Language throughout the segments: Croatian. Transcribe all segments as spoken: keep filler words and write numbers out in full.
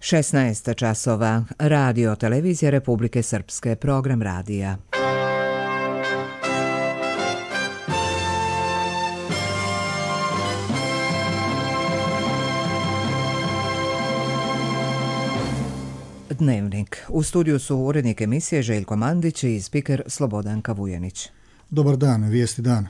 šesnaest časova. Radio Televizija Republike Srpske. Program radija. Dnevnik. U studiju su urednik emisije Željko Mandić i spiker Slobodanka Vujanić. Dobar dan, vijesti dana.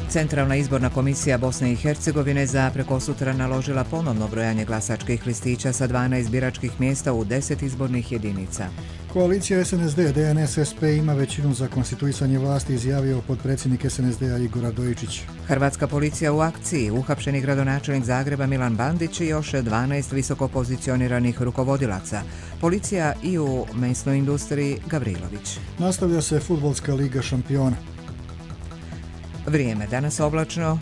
Centralna izborna komisija Bosne i Hercegovine za prekosutra naložila ponovno brojanje glasačkih listića sa dvanaest biračkih mjesta u deset izbornih jedinica. Koalicija S N S D, D N S S P ima većinu za konstituisanje vlasti, izjavio potpredsjednik S N S D-a Igor Radojičić. Hrvatska policija u akciji, uhapšeni gradonačelnik Zagreba Milan Bandić i još dvanaest visoko pozicioniranih rukovodilaca. Policija i u mesnoj industriji Gavrilović. Nastavlja se fudbalska liga šampiona. Vrijeme danas oblačno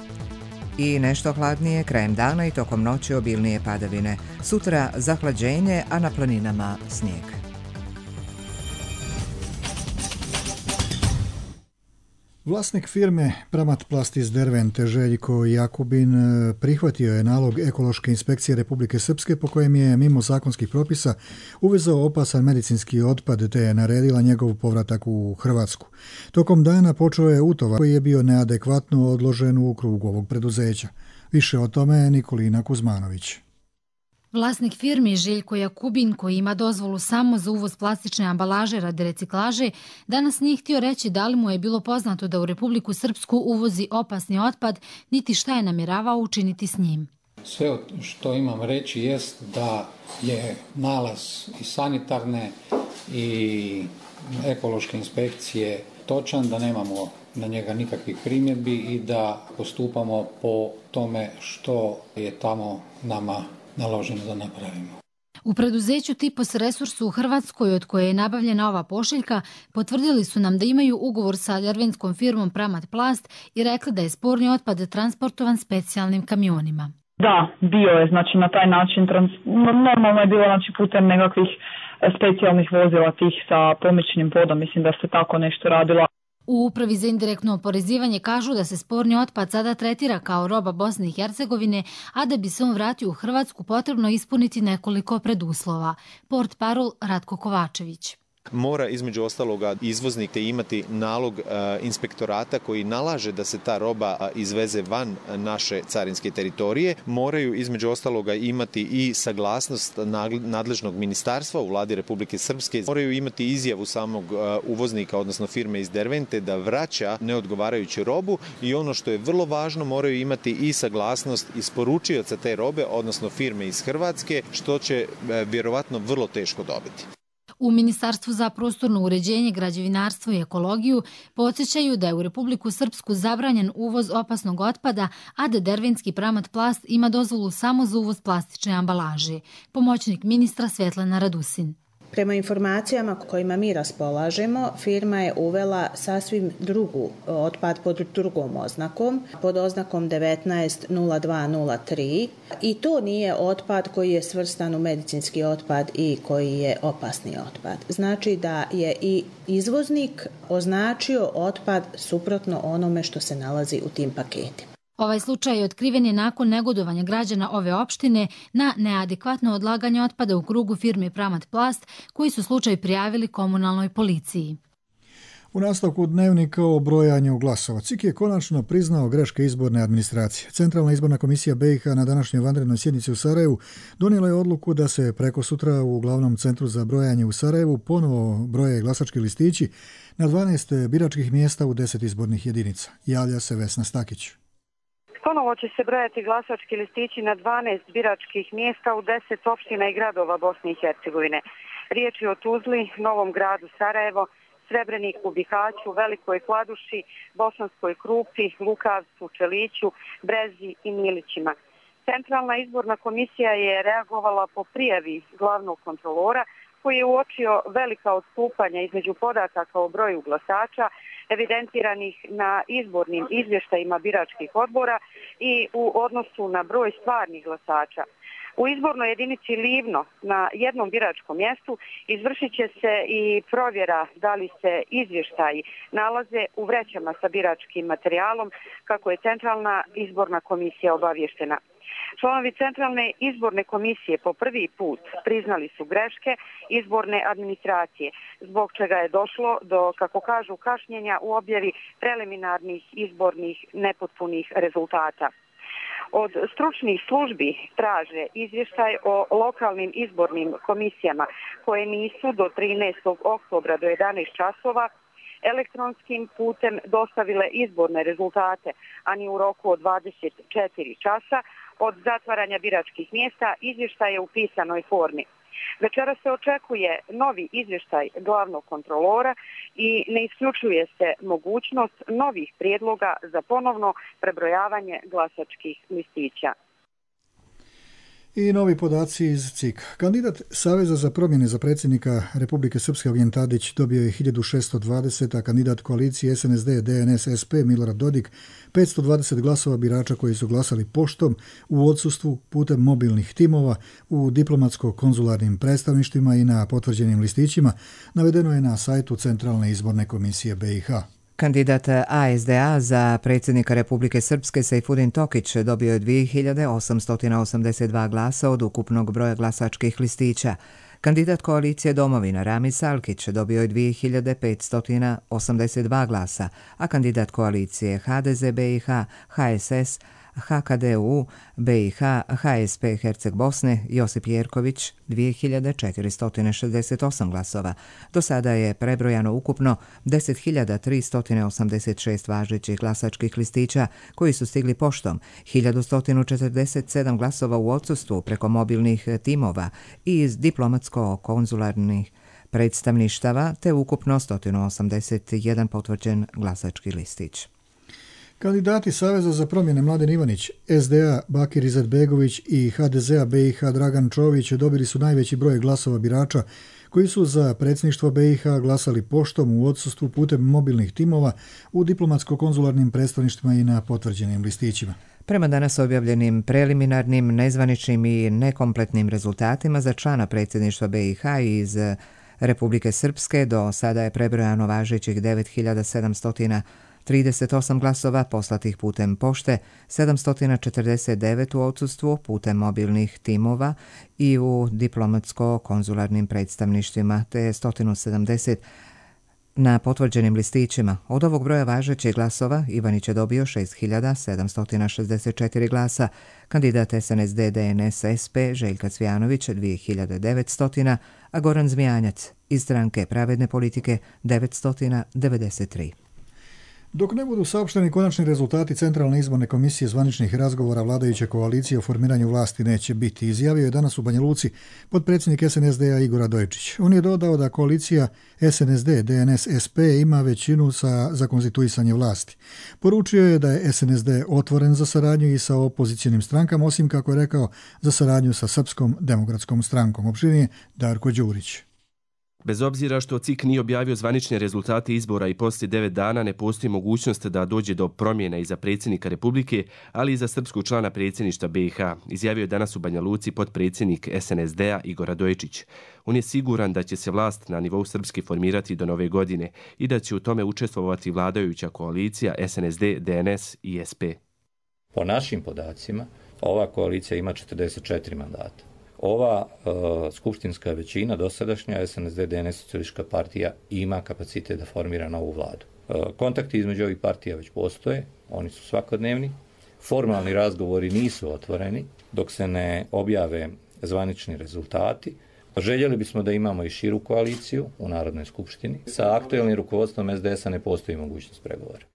i nešto hladnije, krajem dana i tokom noći obilnije padavine. Sutra zahlađenje, a na planinama snijeg. Vlasnik firme Pramatplast iz Dervente Željko Jakubin prihvatio je nalog Ekološke inspekcije Republike Srpske po kojem je mimo zakonskih propisa uvezao opasan medicinski otpad te je naredila njegov povratak u Hrvatsku. Tokom dana počeo je utovar koji je bio neadekvatno odložen u krugu ovog preduzeća. Više o tome Nikolina Kuzmanović. Vlasnik firmi Željko Jakubin, koji ima dozvolu samo za uvoz plastične ambalaže radi reciklaže, danas nije htio reći da li mu je bilo poznato da u Republiku Srpsku uvozi opasni otpad, niti šta je namjeravao učiniti s njim. Sve što imam reći jest da je nalaz i sanitarne i ekološke inspekcije točan, da nemamo na njega nikakvih primjedbi i da postupamo po tome što je tamo nama naloženo da napravimo. U preduzeću Tipos Resursu u Hrvatskoj, od koje je nabavljena ova pošiljka, potvrdili su nam da imaju ugovor sa derventskom firmom Pramatplast i rekli da je sporni otpad transportovan specijalnim kamionima. Da, bio je, znači na taj način, trans... normalno je bilo znači, putem nekakvih specijalnih vozila tih sa pomičnim vodom, mislim da se tako nešto radilo. U Upravi za indirektno oporezivanje kažu da se sporni otpad sada tretira kao roba Bosne i Hercegovine, a da bi se on vratio u Hrvatsku potrebno ispuniti nekoliko preduslova. Portparol Ratko Kovačević. Mora između ostaloga izvoznik te imati nalog e, inspektorata koji nalaže da se ta roba izveze van naše carinske teritorije. Moraju između ostaloga imati i saglasnost nadležnog ministarstva u vladi Republike Srpske. Moraju imati izjavu samog e, uvoznika, odnosno firme iz Dervente, da vraća neodgovarajuću robu i ono što je vrlo važno, moraju imati i saglasnost isporučioca te robe, odnosno firme iz Hrvatske, što će e, vjerovatno vrlo teško dobiti. U Ministarstvu za prostorno uređenje, građevinarstvo i ekologiju podsjećaju da je u Republiku Srpsku zabranjen uvoz opasnog otpada, a da derventski Pramatplast ima dozvolu samo za uvoz plastične ambalaže. Pomoćnik ministra Svetlana Radusin. Prema informacijama kojima mi raspolažemo, firma je uvela sasvim drugu otpad pod drugom oznakom, pod oznakom devetnaest nula dva nula tri i to nije otpad koji je svrstan u medicinski otpad i koji je opasni otpad. Znači da je i izvoznik označio otpad suprotno onome što se nalazi u tim paketima. Ovaj slučaj otkriven je nakon negodovanja građana ove opštine na neadekvatno odlaganje otpada u krugu firme Pramatplast, koji su slučaj prijavili komunalnoj policiji. U nastavku dnevnika o brojanju glasova C I K je konačno priznao greške izborne administracije. Centralna izborna komisija B i H na današnjoj vanrednoj sjednici u Sarajevu donijela je odluku da se preko sutra u glavnom centru za brojanje u Sarajevu ponovo broje glasački listići na dvanaest biračkih mjesta u deset izbornih jedinica. Javlja se Vesna Stakić. Ponovo će se brojati glasački listići na dvanaest biračkih mjesta u deset opština i gradova Bosne i Hercegovine. Riječ je o Tuzli, Novom Gradu Sarajevo, Srebreniku, Bihaću, Velikoj Kladuši, Bosanskoj Krupi, Lukavcu, Čeliću, Brezi i Milićima. Centralna izborna komisija je reagovala po prijavi glavnog kontrolora koji je uočio velika odstupanja između podataka o broju glasača evidentiranih na izbornim izvještajima biračkih odbora i u odnosu na broj stvarnih glasača. U izbornoj jedinici Livno na jednom biračkom mjestu izvršit će se i provjera da li se izvještaji nalaze u vrećama sa biračkim materijalom, kako je Centralna izborna komisija obavještena. Članovi Centralne izborne komisije po prvi put priznali su greške izborne administracije, zbog čega je došlo do, kako kažu, kašnjenja u objavi preliminarnih izbornih nepotpunih rezultata. Od stručnih službi traže izvještaj o lokalnim izbornim komisijama koje nisu do trinaestog oktobra do jedanaest časova elektronskim putem dostavile izborne rezultate, a ni u roku od dvadeset četiri časa od zatvaranja biračkih mjesta izvještaj je u pisanoj formi. Večera se očekuje novi izvještaj glavnog kontrolora i ne isključuje se mogućnost novih prijedloga za ponovno prebrojavanje glasačkih listića. I novi podaci iz C I K. Kandidat Saveza za promjene za predsjednika Republike Srpske Ognjen Tadić dobio je hiljadu šesto dvadeset, a kandidat koalicije S N S D D N S S P Milorad Dodik petsto dvadeset glasova birača koji su glasali poštom, u odsustvu, putem mobilnih timova, u diplomatsko-konzularnim predstavništvima i na potvrđenim listićima, navedeno je na sajtu Centralne izborne komisije B i H. Kandidat A S D A za predsjednika Republike Srpske Sejfudin Tokić dobio je dvije hiljade osamsto osamdeset dva glasa od ukupnog broja glasačkih listića. Kandidat koalicije Domovina Rami Salkić dobio je dvije hiljade petsto osamdeset dva glasa, a kandidat koalicije H D Z B i H, H S S, H K D U, B i H, H S P Herceg Bosne Josip Jerković dvije hiljade četiristo šezdeset osam glasova. Do sada je prebrojano ukupno deset hiljada tristo osamdeset šest važećih glasačkih listića koji su stigli poštom, hiljadu sto četrdeset sedam glasova u odsustvu preko mobilnih timova i iz diplomatsko-konzularnih predstavništava, te ukupno sto osamdeset jedan potvrđen glasački listić. Kandidati Saveza za promjene Mladen Ivanić, S D A Bakir Izetbegović i H D Z A B i H Dragan Čović dobili su najveći broj glasova birača koji su za predsjedništvo B i H glasali poštom, u odsustvu, putem mobilnih timova, u diplomatsko-konzularnim predstavništvima i na potvrđenim listićima. Prema danas objavljenim preliminarnim, nezvaničnim i nekompletnim rezultatima za člana predsjedništva B i H iz Republike Srpske do sada je prebrojano važećih devet hiljada sedamsto trideset osam glasova poslatih putem pošte, sedamsto četrdeset devet u odsustvu putem mobilnih timova i u diplomatsko-konzularnim predstavništvima, te sto sedamdeset na potvrđenim listićima. Od ovog broja važećih glasova Ivanić je dobio šest hiljada sedamsto šezdeset četiri glasa, kandidat S N S D D N S S P Željka Cvijanović dvije hiljade devetsto, a Goran Zmijanjac iz stranke Pravedne politike devetsto devedeset tri. Dok ne budu saopšteni konačni rezultati Centralne izborne komisije, zvaničnih razgovora vladajuće koalicije o formiranju vlasti neće biti, izjavio je danas u Banja Luci potpredsjednik S N S D-a Igor Radojičić. On je dodao da koalicija S N S D D N S S P ima većinu sa, za konstituisanje vlasti. Poručio je da je S N S D otvoren za saradnju i sa opozicionim strankama, osim, kako je rekao, za saradnju sa Srpskom demokratskom strankom. Opširnije Darko Đurić. Bez obzira što C I K nije objavio zvanične rezultate izbora i poslije devet dana, ne postoji mogućnost da dođe do promjena i za predsjednika Republike, ali i za srpskog člana predsjedništva B i H, izjavio je danas u Banja Luci potpredsjednik S N S D-a Igor Radojičić. On je siguran da će se vlast na nivou Srpske formirati do nove godine i da će u tome učestvovati vladajuća koalicija S N S D, D N S i S P. Po našim podacima, ova koalicija ima četrdeset četiri mandata. Ova uh, skupštinska većina, dosadašnja S N S D D N S socijalistička partija, ima kapacitet da formira novu vladu. Uh, kontakti između ovih partija već postoje, oni su svakodnevni. Formalni razgovori nisu otvoreni dok se ne objave zvanični rezultati. Željeli bismo da imamo i širu koaliciju u Narodnoj skupštini. Sa aktuelnim rukovodstvom S D S-a ne postoji mogućnost pregovora.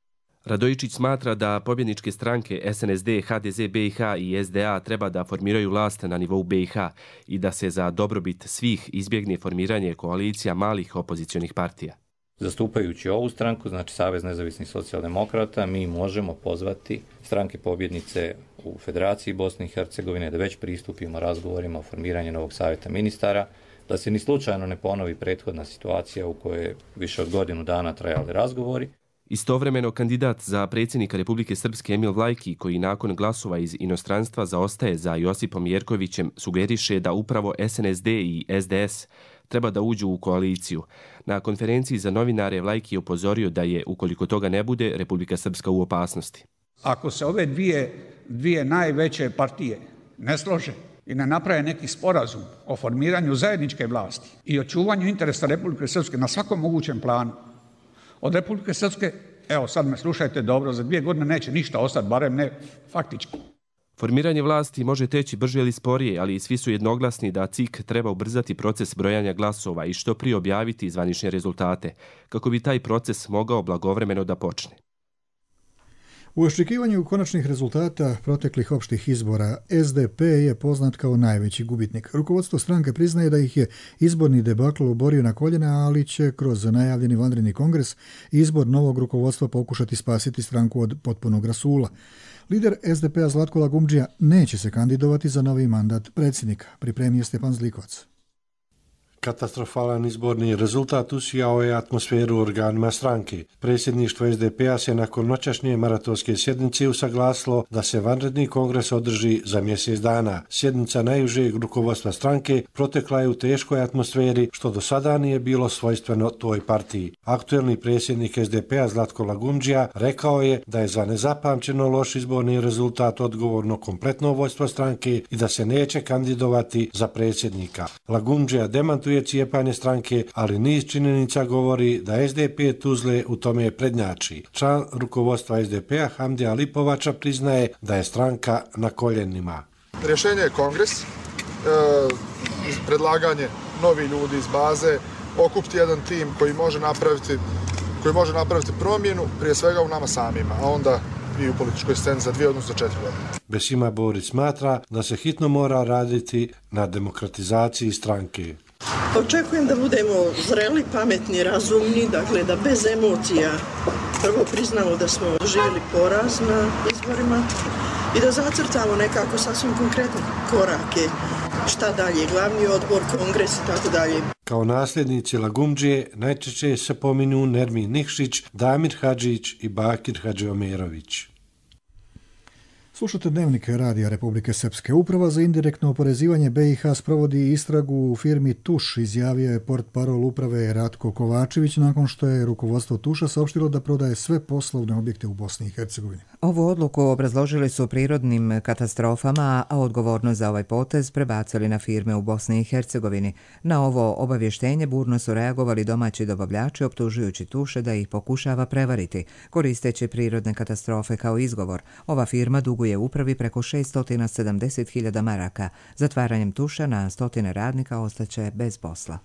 Radojičić smatra da pobjedničke stranke S N S D, H D Z B i H i S D A treba da formiraju vlast na nivou B i H i da se za dobrobit svih izbjegne formiranje koalicija malih opozicionih partija. Zastupajući ovu stranku, znači Savez nezavisnih socijaldemokrata, mi možemo pozvati stranke pobjednice u Federaciji Bosne i Hercegovine da već pristupimo razgovorima o formiranju novog savjeta ministara, da se ni slučajno ne ponovi prethodna situacija u kojoj je više od godinu dana trajali razgovori. Istovremeno, kandidat za predsjednika Republike Srpske Emil Vlajki, koji nakon glasova iz inostranstva zaostaje za Josipom Jerkovićem, sugeriše da upravo S N S D i S D S treba da uđu u koaliciju. Na konferenciji za novinare Vlajki je upozorio da je, ukoliko toga ne bude, Republika Srpska u opasnosti. Ako se ove dvije, dvije najveće partije ne slože i ne naprave neki sporazum o formiranju zajedničke vlasti i očuvanju interesa Republike Srpske na svakom mogućem planu, od Republike Srpske, evo sad me slušajte dobro, za dvije godine neće ništa ostati, barem ne faktički. Formiranje vlasti može teći brže ili sporije, ali svi su jednoglasni da C I K treba ubrzati proces brojanja glasova i što prije objaviti zvanične rezultate, kako bi taj proces mogao blagovremeno da počne. U očekivanju konačnih rezultata proteklih opštih izbora, S D P je poznat kao najveći gubitnik. Rukovodstvo stranke priznaje da ih je izborni debakl oborio na koljena, ali će kroz najavljeni vanredni kongres i izbor novog rukovodstva pokušati spasiti stranku od potpunog rasula. Lider S D P-a Zlatko Lagumdžija neće se kandidovati za novi mandat predsjednika, pripremio Stjepan Zlikovac. Katastrofalan izborni rezultat usijao je atmosferu organima stranke. Predsjedništvo S D P-a se nakon noćašnje maratonske sjednice usaglasilo da se vanredni kongres održi za mjesec dana. Sjednica najužeg rukovodstva stranke protekla je u teškoj atmosferi, što do sada nije bilo svojstveno toj partiji. Aktuelni predsjednik S D P-a Zlatko Lagumdžija rekao je da je za nezapamćeno loš izborni rezultat odgovorno kompletno vođstvo stranke i da se neće kandidovati za predsjednika. Lagumdžija demantuje cijepanje stranke, ali niz činjenica govori da S D P Tuzle u tome prednjači. Član rukovodstva S D P-a Hamdija Lipovača priznaje da je stranka na koljenima. Rješenje je kongres, e, predlaganje novi ljudi iz baze, okupiti jedan tim koji može napraviti, koji može napraviti promjenu, prije svega u nama samima, a onda i u političkoj sceni za dvije, odnosno četiri godine. Besima Borić smatra da se hitno mora raditi na demokratizaciji stranke. Očekujem da budemo zreli, pametni, razumni, dakle da bez emocija prvo priznamo da smo doživjeli poraz na izborima i da zacrtamo nekako sasvim konkretne korake, šta dalje, glavni odbor, kongres i tako dalje. Kao nasljednici Lagumdžije najčešće se pominu Nermin Nikšić, Damir Hadžić i Bakir Hadžiomerović. Slušate Dnevnik Radija Republike Srpske. Uprava za indirektno oporezivanje B i H sprovodi istragu u firmi Tuš, izjavio je portparol uprave Ratko Kovačević nakon što je rukovodstvo Tuša saopštilo da prodaje sve poslovne objekte u Bosni i Hercegovini. Ovu odluku obrazložili su prirodnim katastrofama, a odgovornost za ovaj potez prebacili na firme u Bosni i Hercegovini. Na ovo obavještenje burno su reagovali domaći dobavljači, optužujući Tuše da ih pokušava prevariti, koristeći prirodne katastrofe kao izgovor. Ova firma duguje upravi preko šesto sedamdeset hiljada maraka. Zatvaranjem Tuša na stotine radnika ostaće bez posla.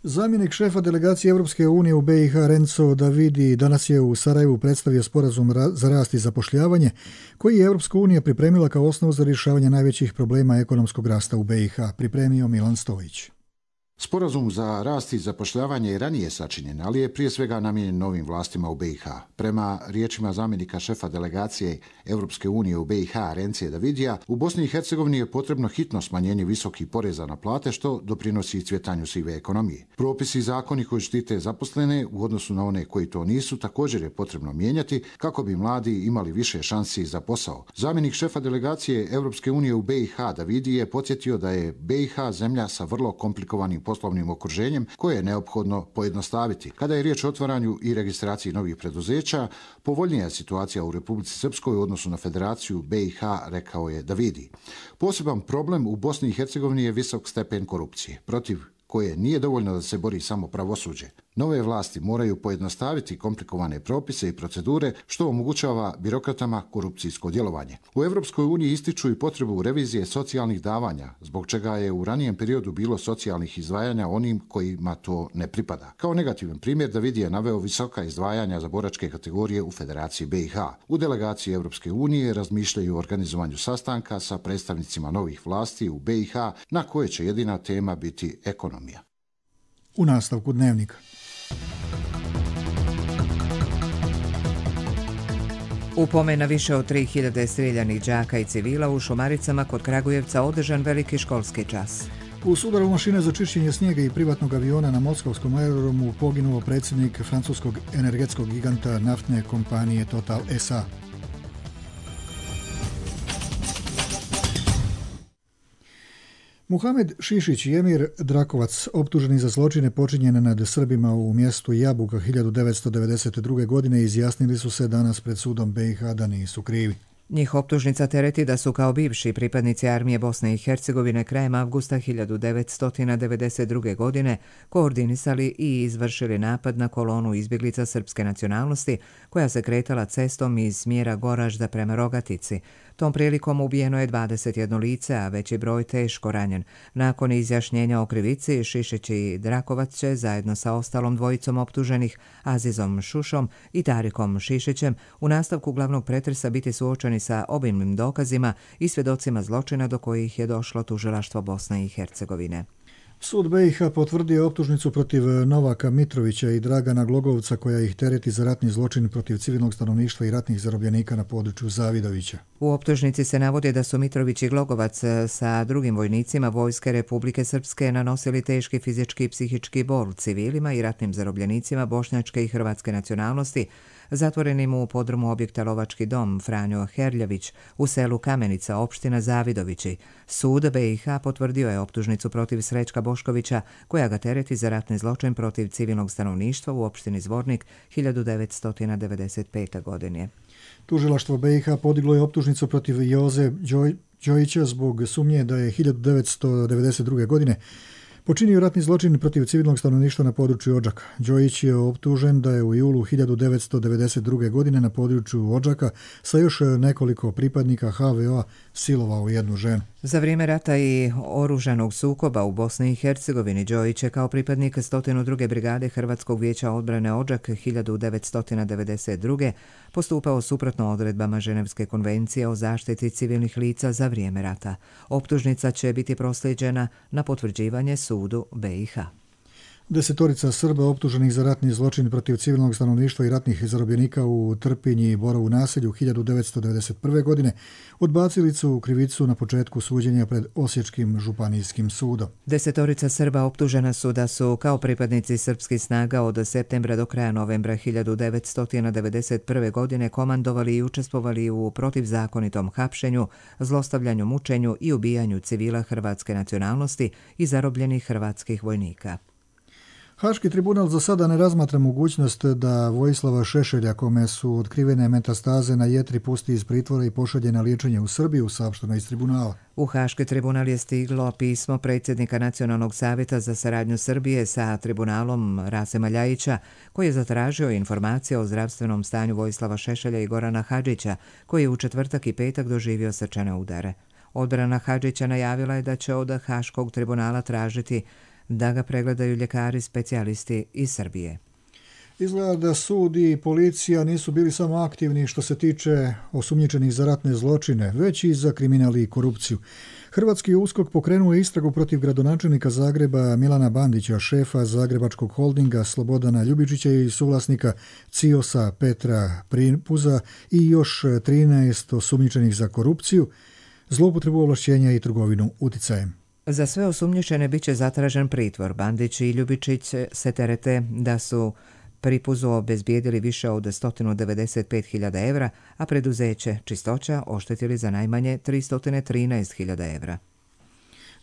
Zamjenik šefa delegacije Europske unije u B i H Renzo Davidi danas je u Sarajevu predstavio sporazum za rast i zapošljavanje koji je Europska unija pripremila kao osnovu za rješavanje najvećih problema ekonomskog rasta u B i H, pripremio Milan Stojić. Sporazum za rast i zapošljavanje je ranije sačinjen, ali je prije svega namijenjen novim vlastima u B i H. Prema riječima zamjenika šefa delegacije Europske unije u B i H Rence Davidija, u Bosni i Hercegovini je potrebno hitno smanjenje visokih poreza na plate, što doprinosi cvjetanju sive ekonomije. Propisi i zakoni koji štite zaposlene u odnosu na one koji to nisu također je potrebno mijenjati kako bi mladi imali više šansi za posao. Zamjenik šefa delegacije Europske unije u B i H Davidi je podsjetio da je B i H zemlja sa vrlo komplikovanim poslovnim okruženjem koje je neophodno pojednostaviti. Kada je riječ o otvaranju i registraciji novih preduzeća, povoljnija je situacija u Republici Srpskoj u odnosu na Federaciju B i H, rekao je Davidi. Poseban problem u Bosni i Hercegovini je visok stepen korupcije, protiv koje nije dovoljno da se bori samo pravosuđe. Nove vlasti moraju pojednostaviti komplikovane propise i procedure, što omogućava birokratama korupcijsko djelovanje. U Europskoj uniji ističu i potrebu revizije socijalnih davanja, zbog čega je u ranijem periodu bilo socijalnih izdvajanja onim kojima to ne pripada. Kao negativan primjer David je naveo visoka izdvajanja za boračke kategorije u Federaciji B i H. U delegaciji Europske unije razmišljaju o organizovanju sastanka sa predstavnicima novih vlasti u B i H, na koje će jedina tema biti ekonomija. U nastavku Dnevnika. U pomena više od tri hiljade streljanih đaka i civila u Šumaricama kod Kragujevca održan veliki školski čas. U sudaru mašine za čišćenje snijega i privatnog aviona na moskovskom aerodromu poginuo predsjednik francuskog energetskog giganta naftne kompanije Total S A. Muhamed Šišić i Emir Drakovac, optuženi za zločine počinjene nad Srbima u mjestu Jabuka hiljadu devetsto devedeset druge. godine, izjasnili su se danas pred sudom B i H da nisu krivi. Njih optužnica tereti da su kao bivši pripadnici armije Bosne i Hercegovine krajem avgusta hiljadu devetsto devedeset druge. godine koordinisali i izvršili napad na kolonu izbjeglica srpske nacionalnosti koja se kretala cestom iz smjera Goražda prema Rogatici. Tom prilikom ubijeno je dvadeset jedno lice, a veći broj teško ranjen. Nakon izjašnjenja o krivici, Šišić i Drakovac će zajedno sa ostalom dvojicom optuženih, Azizom Šušom i Tarikom Šišićem, u nastavku glavnog pretresa biti suočeni sa obimnim dokazima i svjedocima zločina do kojih je došlo tužilaštvo Bosne i Hercegovine. Sud B i H potvrdio optužnicu protiv Novaka Mitrovića i Dragana Glogovca koja ih tereti za ratni zločin protiv civilnog stanovništva i ratnih zarobljenika na području Zavidovića. U optužnici se navodi da su Mitrović i Glogovac sa drugim vojnicima Vojske Republike Srpske nanosili teški fizički i psihički bol civilima i ratnim zarobljenicima bošnjačke i hrvatske nacionalnosti, zatvorenim u podrumu objekta Lovački dom Franjo Herljević u selu Kamenica, opština Zavidovići. Sud B i H potvrdio je optužnicu protiv Srećka Boškovića koja ga tereti za ratni zločin protiv civilnog stanovništva u opštini Zvornik hiljadu devetsto devedeset pete. godine. Tužilaštvo B i H podiglo je optužnicu protiv Joze Đoj, Đojića zbog sumnje da je hiljadu devetsto devedeset druge. godine počinio ratni zločin protiv civilnog stanovništva na području Odžaka. Đojić je optužen da je u julu hiljadu devetsto devedeset druge. godine na području Odžaka sa još nekoliko pripadnika H V O-a silovao jednu ženu. Za vrijeme rata i oružanog sukoba u Bosni i Hercegovini Đojić je kao pripadnik sto druge. brigade Hrvatskog vijeća odbrane Odžak hiljadu devetsto devedeset druge. postupao suprotno odredbama Ženevske konvencije o zaštiti civilnih lica za vrijeme rata. Optužnica će biti proslijeđena na potvrđivanje sudu B i H. Desetorica Srba optuženih za ratni zločin protiv civilnog stanovništva i ratnih zarobljenika u Trpinji i Borovu naselju hiljadu devetsto devedeset prve. godine odbacili su krivicu na početku suđenja pred Osječkim županijskim sudom. Desetorica Srba optužena su da su kao pripadnici srpskih snaga od septembra do kraja novembra hiljadu devetsto devedeset prve. godine komandovali i učestvovali u protivzakonitom hapšenju, zlostavljanju, mučenju i ubijanju civila hrvatske nacionalnosti i zarobljenih hrvatskih vojnika. Haški tribunal za sada ne razmatra mogućnost da Vojislava Šešelja, kome su otkrivene metastaze na jetri, pusti iz pritvora i pošalje na liječenje u Srbiju, saopšteno iz tribunala. U Haški tribunal je stiglo pismo predsjednika Nacionalnog savjeta za saradnju Srbije sa tribunalom Rasema Ljajića, koji je zatražio informacije o zdravstvenom stanju Vojislava Šešelja i Gorana Hadžića, koji je u četvrtak i petak doživio srčane udare. Odbrana Hadžića najavila je da će od Haškog tribunala tražiti da ga pregledaju ljekari specijalisti iz Srbije. Izgleda da sud i policija nisu bili samo aktivni što se tiče osumnjičenih za ratne zločine, već i za kriminal i korupciju. Hrvatski USKOK pokrenuo je istragu protiv gradonačelnika Zagreba Milana Bandića, šefa Zagrebačkog holdinga Slobodana Ljubičića i suvlasnika Ciosa Petra Pripuza i još trinaest osumnjičenih za korupciju, zloupotrebu ovlašćenja i trgovinu uticajem. Za sve osumnjičene bit će zatražen pritvor. Bandić i Ljubičić se terete da su Pripuzu obezbijedili više od sto devedeset pet hiljada evra, a preduzeće Čistoća oštetili za najmanje tristo trinaest hiljada evra.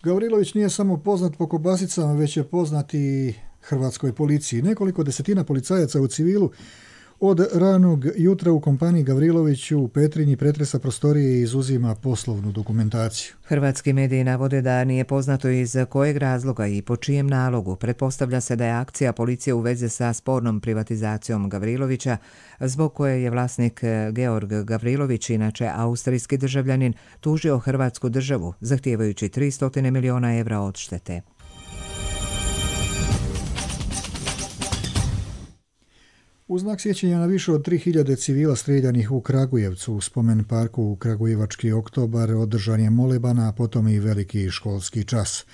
Gavrilović nije samo poznat po kobasicama, već je poznat i hrvatskoj policiji. Nekoliko desetina policajaca u civilu od ranog jutra u kompaniji Gavrilović u Petrinji pretresa prostorije i izuzima poslovnu dokumentaciju. Hrvatski mediji navode da nije poznato iz kojeg razloga i po čijem nalogu. Pretpostavlja se da je akcija policije u vezi sa spornom privatizacijom Gavrilovića, zbog koje je vlasnik Georg Gavrilović, inače austrijski državljanin, tužio Hrvatsku državu, zahtijevajući tristo miliona evra odštete. U znak sjećanja na više od tri hiljade civila strijeljanih u Kragujevcu u spomen parku u Kragujevački oktobar održan je moleban, a potom i veliki školski čas.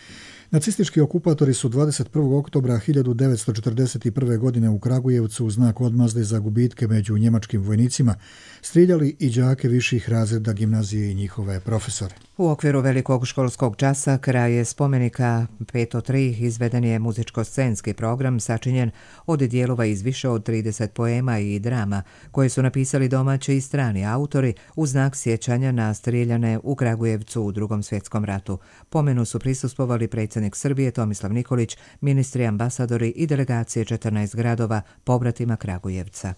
Nacistički okupatori su dvadeset prvog oktobra hiljadu devetsto četrdeset prve. godine u Kragujevcu u znak odmazde za gubitke među njemačkim vojnicima strijeljali i đake viših razreda gimnazije i njihove profesore. U okviru velikog školskog časa kraj spomenika peto tri izveden je muzičko-scenski program sačinjen od dijelova iz više od trideset poema i drama koje su napisali domaći i strani autori u znak sjećanja na strijeljane u Kragujevcu u Drugom svjetskom ratu. Pomenu su prisustvovali predsjednik Srbije Tomislav Nikolić, ministri, ambasadori i delegacije četrnaest gradova pobratima Kragujevca.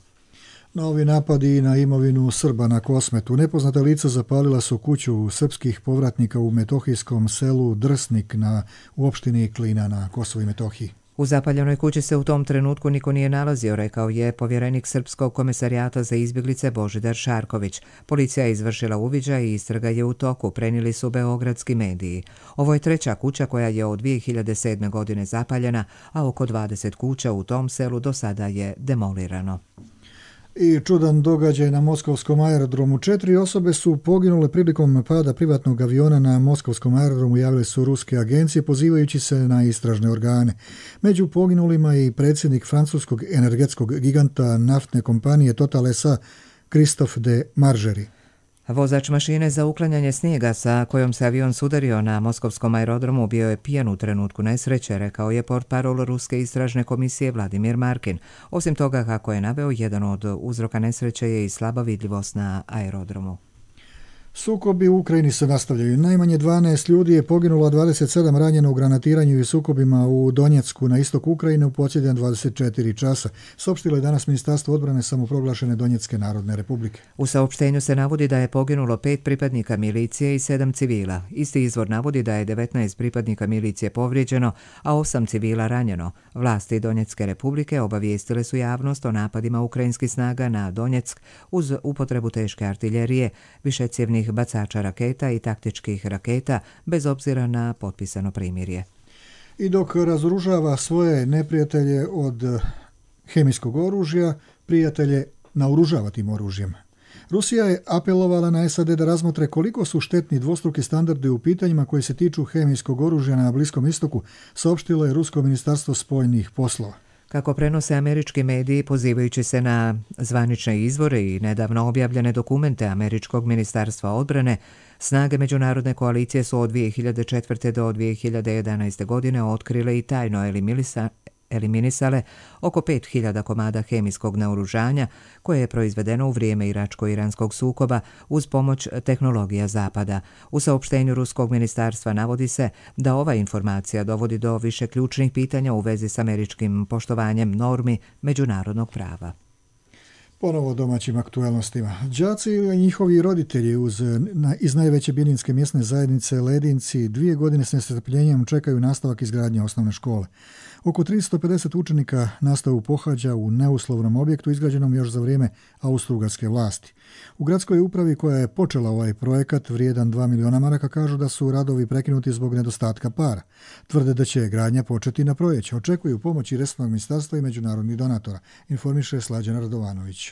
Novi napadi na imovinu Srba na Kosmetu. Nepoznata lica zapalila su kuću srpskih povratnika u metohijskom selu Drsnik na, u opštini Klina na Kosovu i Metohiji. U zapaljenoj kući se u tom trenutku niko nije nalazio, rekao je povjerenik Srpskog komisarijata za izbjeglice Božidar Šarković. Policija je izvršila uviđaj i istraga je u toku, prenijeli su beogradski mediji. Ovo je treća kuća koja je od dvije hiljade sedme. godine zapaljena, a oko dvadeset kuća u tom selu do sada je demolirano. I čudan događaj na moskovskom aerodromu. Četiri osobe su poginule prilikom pada privatnog aviona na moskovskom aerodromu, javile su ruske agencije pozivajući se na istražne organe. Među poginulima i predsjednik francuskog energetskog giganta naftne kompanije Total S A Christophe de Margerie. Vozač mašine za uklanjanje snijega sa kojom se avion sudario na moskovskom aerodromu bio je pijan u trenutku nesreće, rekao je portparol Ruske istražne komisije Vladimir Markin. Osim toga, kako je naveo, jedan od uzroka nesreće je i slaba vidljivost na aerodromu. Sukobi u Ukrajini se nastavljaju. Najmanje dvanaest ljudi je poginulo, a dvadeset sedam ranjeno u granatiranju i sukobima u Donjecku na istoku Ukrajine u posljednja dvadeset četiri časa. Saopštilo je danas Ministarstvo odbrane samoproglašene Donjecke narodne republike. U saopštenju se navodi da je poginulo pet pripadnika milicije i sedam civila. Isti izvor navodi da je devetnaest pripadnika milicije povrijeđeno, a osam civila ranjeno. Vlasti Donjecke republike obavijestile su javnost o napadima ukrajinskih snaga na Donjeck uz upotrebu teške artiljerije, višecjevnih bacača raketa i taktičkih raketa, bez obzira na potpisano primirje. I dok razoružava svoje neprijatelje od hemijskog oružja, prijatelje naoružava tim oružjem. Rusija je apelovala na S A D da razmotre koliko su štetni dvostruki standardi u pitanjima koje se tiču hemijskog oružja na Bliskom istoku, saopštilo je Rusko ministarstvo spoljnih poslova. Kako prenose američki mediji, pozivajući se na zvanične izvore i nedavno objavljene dokumente američkog ministarstva odbrane, snage međunarodne koalicije su od dvije hiljade četvrte. do dvije hiljade jedanaeste. godine otkrile i tajno eliminisale oko pet hiljada komada hemijskog naoružanja koje je proizvedeno u vrijeme iračko-iranskog sukoba uz pomoć tehnologija Zapada. U saopštenju Ruskog ministarstva navodi se da ova informacija dovodi do više ključnih pitanja u vezi s američkim poštovanjem normi međunarodnog prava. Ponovo domaćim aktualnostima. Đaci i njihovi roditelji uz, na, iz najveće bilinske mjesne zajednice Ledinci dvije godine s nestrpljenjem čekaju nastavak izgradnje osnovne škole. Oko tristo pedeset učenika nastavu pohađa u neuslovnom objektu izgrađenom još za vrijeme austrougarske vlasti. U gradskoj upravi koja je počela ovaj projekat vrijedan dva miliona maraka kažu da su radovi prekinuti zbog nedostatka para. Tvrde da će gradnja početi na proljeće. Očekuju pomoći resornog ministarstva i međunarodnih donatora, informiše Slađana Radovanović.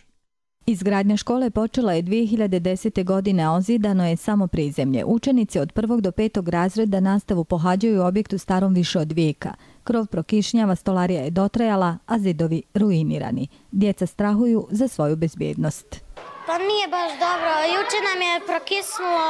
Izgradnja škole počela je dvije hiljade desete. godine, a ozidano je samo prizemlje. Učenici od prvog do petog razreda nastavu pohađaju u objektu starom više od vijeka. Krov prokišnjava, stolarija je dotrajala, a zidovi ruinirani. Djeca strahuju za svoju bezbjednost. Pa nije baš dobro. Juče nam je prokisnulo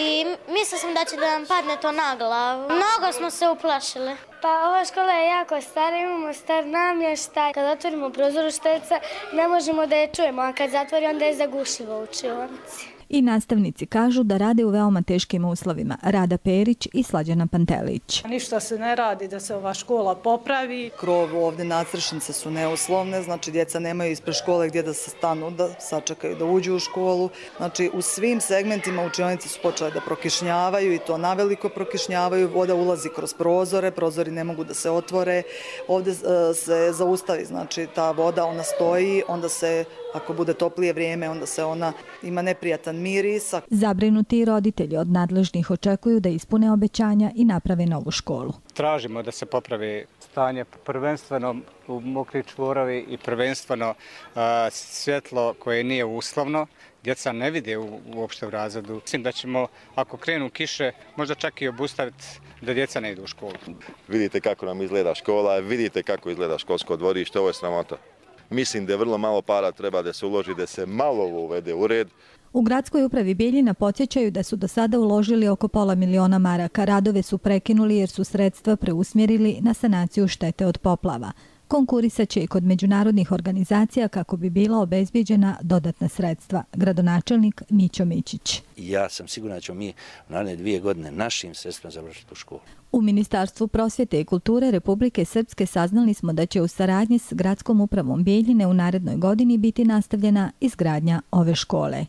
i mislila sam da će da nam padne to na glavu. Mnogo smo se uplašili. Pa ova škola je jako stara, imamo star namještaj. Kad otvorimo prozor šteca, ne možemo da je čujemo, a kad zatvori onda je zagušljivo u učionici. I nastavnici kažu da rade u veoma teškim uslovima. Rada Perić i Slađana Pantelić. Ništa se ne radi da se ova škola popravi. Krov ovdje, nadstrešnice su neuslovne, znači djeca nemaju ispred škole gdje da se stanu, da sačekaju da uđu u školu. Znači u svim segmentima učionici su počele da prokišnjavaju i to naveliko prokišnjavaju. Voda ulazi kroz prozore, prozori ne mogu da se otvore. Ovdje se zaustavi, znači ta voda, ona stoji, onda se ako bude toplije vrijeme, onda se ona ima neprijatan miris. Zabrinuti roditelji od nadležnih očekuju da ispune obećanja i naprave novu školu. Tražimo da se popravi stanje, prvenstveno u mokri čvorovi i prvenstveno uh, svjetlo koje nije uslovno. Djeca ne vide u, uopšte u razredu. Mislim da ćemo, ako krenu kiše, možda čak i obustaviti da djeca ne idu u školu. Vidite kako nam izgleda škola, vidite kako izgleda školsko dvorište, ovo je sramota. Mislim da je vrlo malo para treba da se uloži, da se malo uvede u red. U gradskoj upravi Bijeljina podsjećaju da su do sada uložili oko pola miliona maraka. Radove su prekinuli jer su sredstva preusmjerili na sanaciju štete od poplava. Konkurisat će i kod međunarodnih organizacija kako bi bila obezbijeđena dodatna sredstva. Gradonačelnik Mićo Mićić. Ja sam siguran da ćemo mi u naredne dvije godine našim sredstvima završiti u školu. U Ministarstvu prosvjete i kulture Republike Srpske saznali smo da će u saradnji s gradskom upravom Bijeljine u narednoj godini biti nastavljena izgradnja ove škole.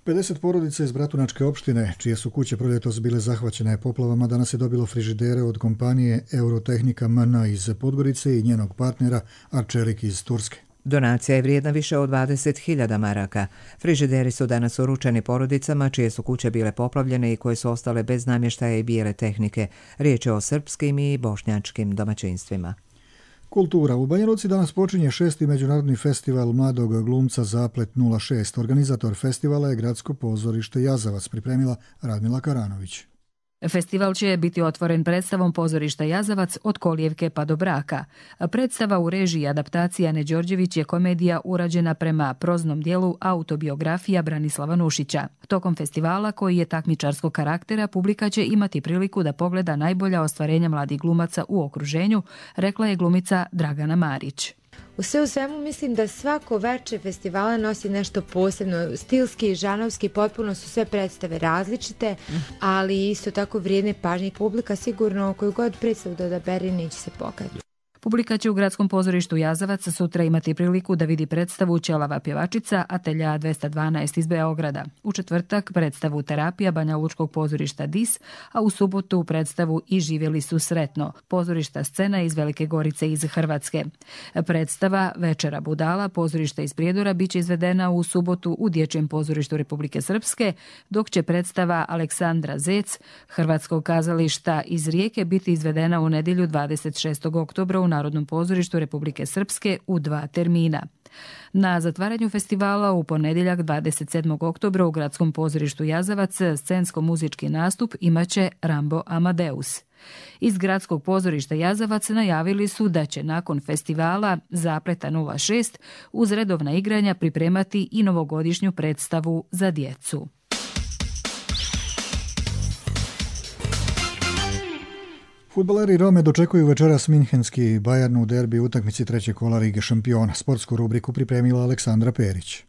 pedeset porodica iz Bratunačke opštine, čije su kuće proljetos bile zahvaćene poplavama, danas je dobilo frižidere od kompanije Eurotehnika M N iz Podgorice i njenog partnera Arčelik iz Turske. Donacija je vrijedna više od dvadeset hiljada maraka. Frižideri su danas uručeni porodicama čije su kuće bile poplavljene i koje su ostale bez namještaja i bijele tehnike. Riječ je o srpskim i bošnjačkim domaćinstvima. Kultura. U Banja Luci danas počinje šesti međunarodni festival mladog glumca Zaplet nula šest. Organizator festivala je Gradsko pozorište Jazavac, pripremila Radmila Karanović. Festival će biti otvoren predstavom pozorišta Jazavac od Kolijevke pa do Braka. Predstava u režiji adaptacija Ane Đorđević je komedija urađena prema proznom dijelu autobiografija Branislava Nušića. Tokom festivala, koji je takmičarskog karaktera, publika će imati priliku da pogleda najbolja ostvarenja mladih glumaca u okruženju, rekla je glumica Dragana Marić. U sve u svemu mislim da svako veče festivala nosi nešto posebno. Stilski i žanovski potpuno su sve predstave različite, ali isto tako vrijedne pažnje. Publika sigurno koju god predstavu da odabere neće se pokazati. Publika će u Gradskom pozorištu Jazavac sutra imati priliku da vidi predstavu Ćelava pjevačica Atelja dvesta dvanaest iz Beograda. U četvrtak predstavu Terapija Banja Lučkog pozorišta Dis, a u subotu predstavu I živjeli su sretno, pozorišta Scena iz Velike Gorice iz Hrvatske. Predstava Večera budala pozorišta iz Prijedora biće izvedena u subotu u Dječjem pozorištu Republike Srpske, dok će predstava Aleksandra Zec Hrvatskog kazališta iz Rijeke biti izvedena u nedjelju dvadeset šestog oktobra u Narodnom pozorištu Republike Srpske u dva termina. Na zatvaranju festivala u ponedjeljak dvadeset sedmog oktobra u Gradskom pozorištu Jazavac scensko-muzički nastup imaće Rambo Amadeus. Iz Gradskog pozorišta Jazavac najavili su da će nakon festivala Zapleta nula šest uz redovna igranja pripremati i novogodišnju predstavu za djecu. Fudbaleri Rome dočekuju večeras minhenski Bayern u derbi utakmici trećeg kola Lige šampiona. Sportsku rubriku pripremila Aleksandra Perić.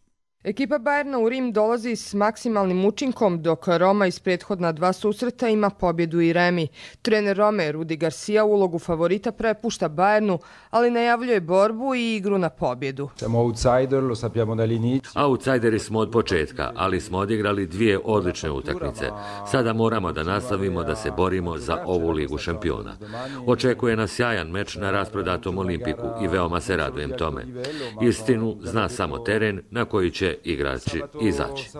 Ekipa Bayerna u Rim dolazi s maksimalnim učinkom, dok Roma iz prethodna dva susreta ima pobjedu i remi. Trener Rome, Rudi Garcia, ulogu favorita prepušta Bayernu, ali najavljuje borbu i igru na pobjedu. Outsideri smo od početka, ali smo odigrali dvije odlične utakmice. Sada moramo da nastavimo da se borimo za ovu Ligu šampiona. Očekuje nas sjajan meč na rasprodatom Olimpiku i veoma se radujem tome. Istinu zna samo teren na koji će igrači izaći.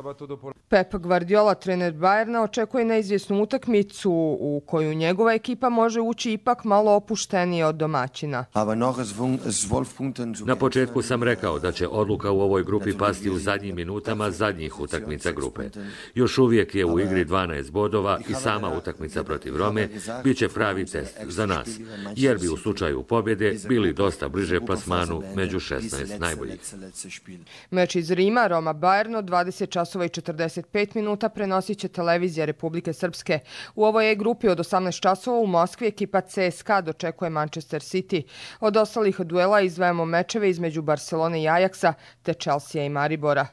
Pep Guardiola, trener Bayerna, očekuje neizvjesnu utakmicu u koju njegova ekipa može ući ipak malo opuštenije od domaćina. Na početku sam rekao da će odluka u ovoj grupi pasti u zadnjim minutama zadnjih utakmica grupe. Još uvijek je u igri dvanaest bodova i sama utakmica protiv Rome bit će pravi test za nas, jer bi u slučaju pobjede bili dosta bliže plasmanu među šesnaest najboljih. Meč iz Rima, Roma Bayern, dvadeset časova i četrdeset pet minuta prenosit će televizija Republike Srpske. U ovoj E-grupi od osamnaest časova u Moskvi ekipa C S K A dočekuje Manchester City. Od ostalih duela izdvajamo mečeve između Barcelone i Ajaksa te Chelsea i Maribora.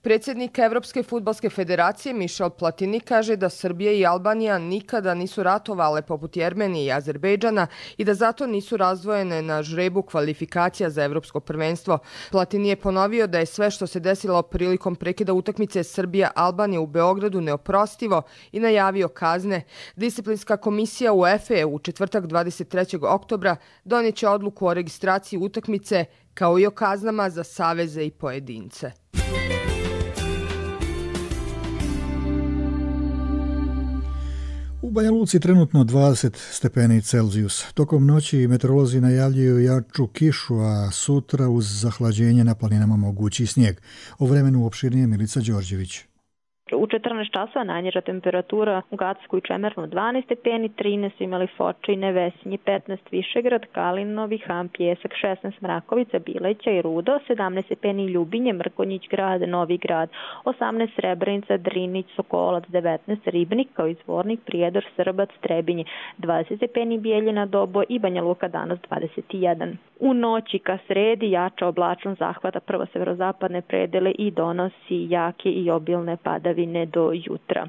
Predsjednik Evropske fudbalske federacije Michel Platini kaže da Srbija i Albanija nikada nisu ratovale poput Jermenije i Azerbejdžana i da zato nisu razdvojene na žrebu kvalifikacija za evropsko prvenstvo. Platini je ponovio da je sve što se desilo prilikom prekida utakmice Srbija-Albanija u Beogradu neoprostivo i najavio kazne. Disciplinska komisija UEFA u četvrtak dvadeset trećeg oktobra donijet će odluku o registraciji utakmice kao i o kaznama za saveze i pojedince. U Banja Luci trenutno dvadeset stepeni Celzijus. Tokom noći meteorolozi najavljuju jaču kišu, a sutra uz zahlađenje na planinama mogući snijeg. O vremenu opširnije Milica Đorđević. U četrnaest časova najniža temperatura u Gacku i Čemernu dvanaest stepeni, trinaest su imali Foča i Nevesinje, petnaest Višegrad, Kalinovi, Ham, Pjesak, šesnaest Mrakovica, Bileća i Rudo, sedamnaest stepeni Ljubinje, Mrkonjić grad, Novi grad, osamnaest Srebrenica, Drinić, Sokolac, devetnaest Ribnik, kao i Zvornik, Prijedor, Srbac, Trebinje, dvadeset stepeni Bijeljina, Dobo i Banja Luka danas dvadeset jedan. U noći ka sredi jača oblačnost zahvata prvo severozapadne predele i donosi jake i obilne padavine do jutra.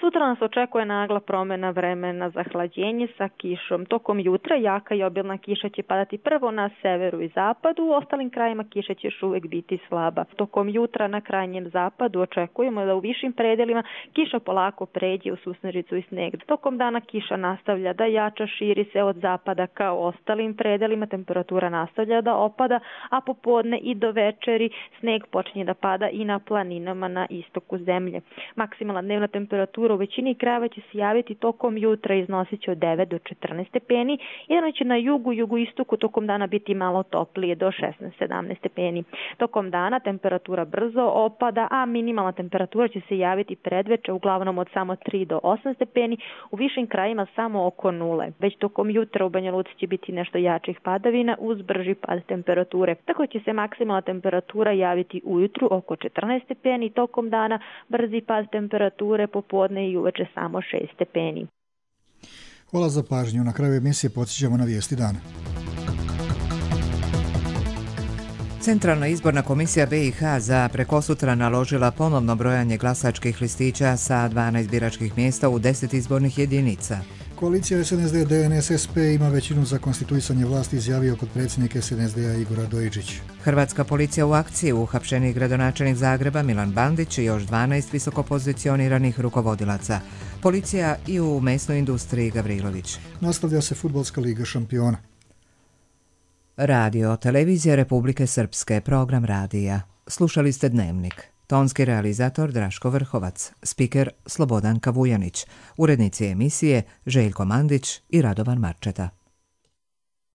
Sutra nas očekuje nagla promjena vremena za hlađenje sa kišom. Tokom jutra jaka i obilna kiša će padati prvo na severu i zapadu, u ostalim krajima kiša će još uvijek biti slaba. Tokom jutra na krajnjem zapadu očekujemo da u višim predelima kiša polako pređe u susnežicu i sneg. Tokom dana kiša nastavlja da jača, širi se od zapada ka ostalim predelima, temperatura nastavlja da opada, a popodne i do večeri sneg počinje da pada i na planinama na istoku zemlje. Maksimalna dnevna temperatura u većini krajeva će se javiti tokom jutra, iznosit će od devet do četrnaest stepeni, jedno će na jugu, jugoistoku tokom dana biti malo toplije do šesnaest sedamnaest stepeni. Tokom dana temperatura brzo opada, a minimalna temperatura će se javiti predveče uglavnom od samo tri do osam stepeni, u višim krajima samo oko nule. Već tokom jutra u Banja Luci će biti nešto jačih padavina uz brži pad temperature. Tako će se maksimalna temperatura javiti ujutru oko četrnaest stepeni, tokom dana brzi pad temperature, popodne i uveče samo šest stepeni. Hvala za pažnju. Na kraju emisije podsjećamo na vijesti dana. Centralna izborna komisija B i H za prekosutra naložila ponovno brojanje glasačkih listića sa dvanaest biračkih mjesta u deset izbornih jedinica. Koalicija S N S D D N S S P ima većinu za konstituisanje vlasti, izjavio potpredsjednik S N S D-a Igor Radojičić. Hrvatska policija u akciji, uhapšeni gradonačelnik Zagreba Milan Bandić i još dvanaest visokopozicioniranih rukovodilaca. Policija i u mesnoj industriji Gavrilović. Nastavlja se fudbalska liga šampiona. Radio, televizija Republike Srpske, program radija. Slušali ste Dnevnik. Tonski realizator Draško Vrhovac, spiker Slobodan Kavujanić, urednici emisije Željko Mandić i Radovan Marčeta.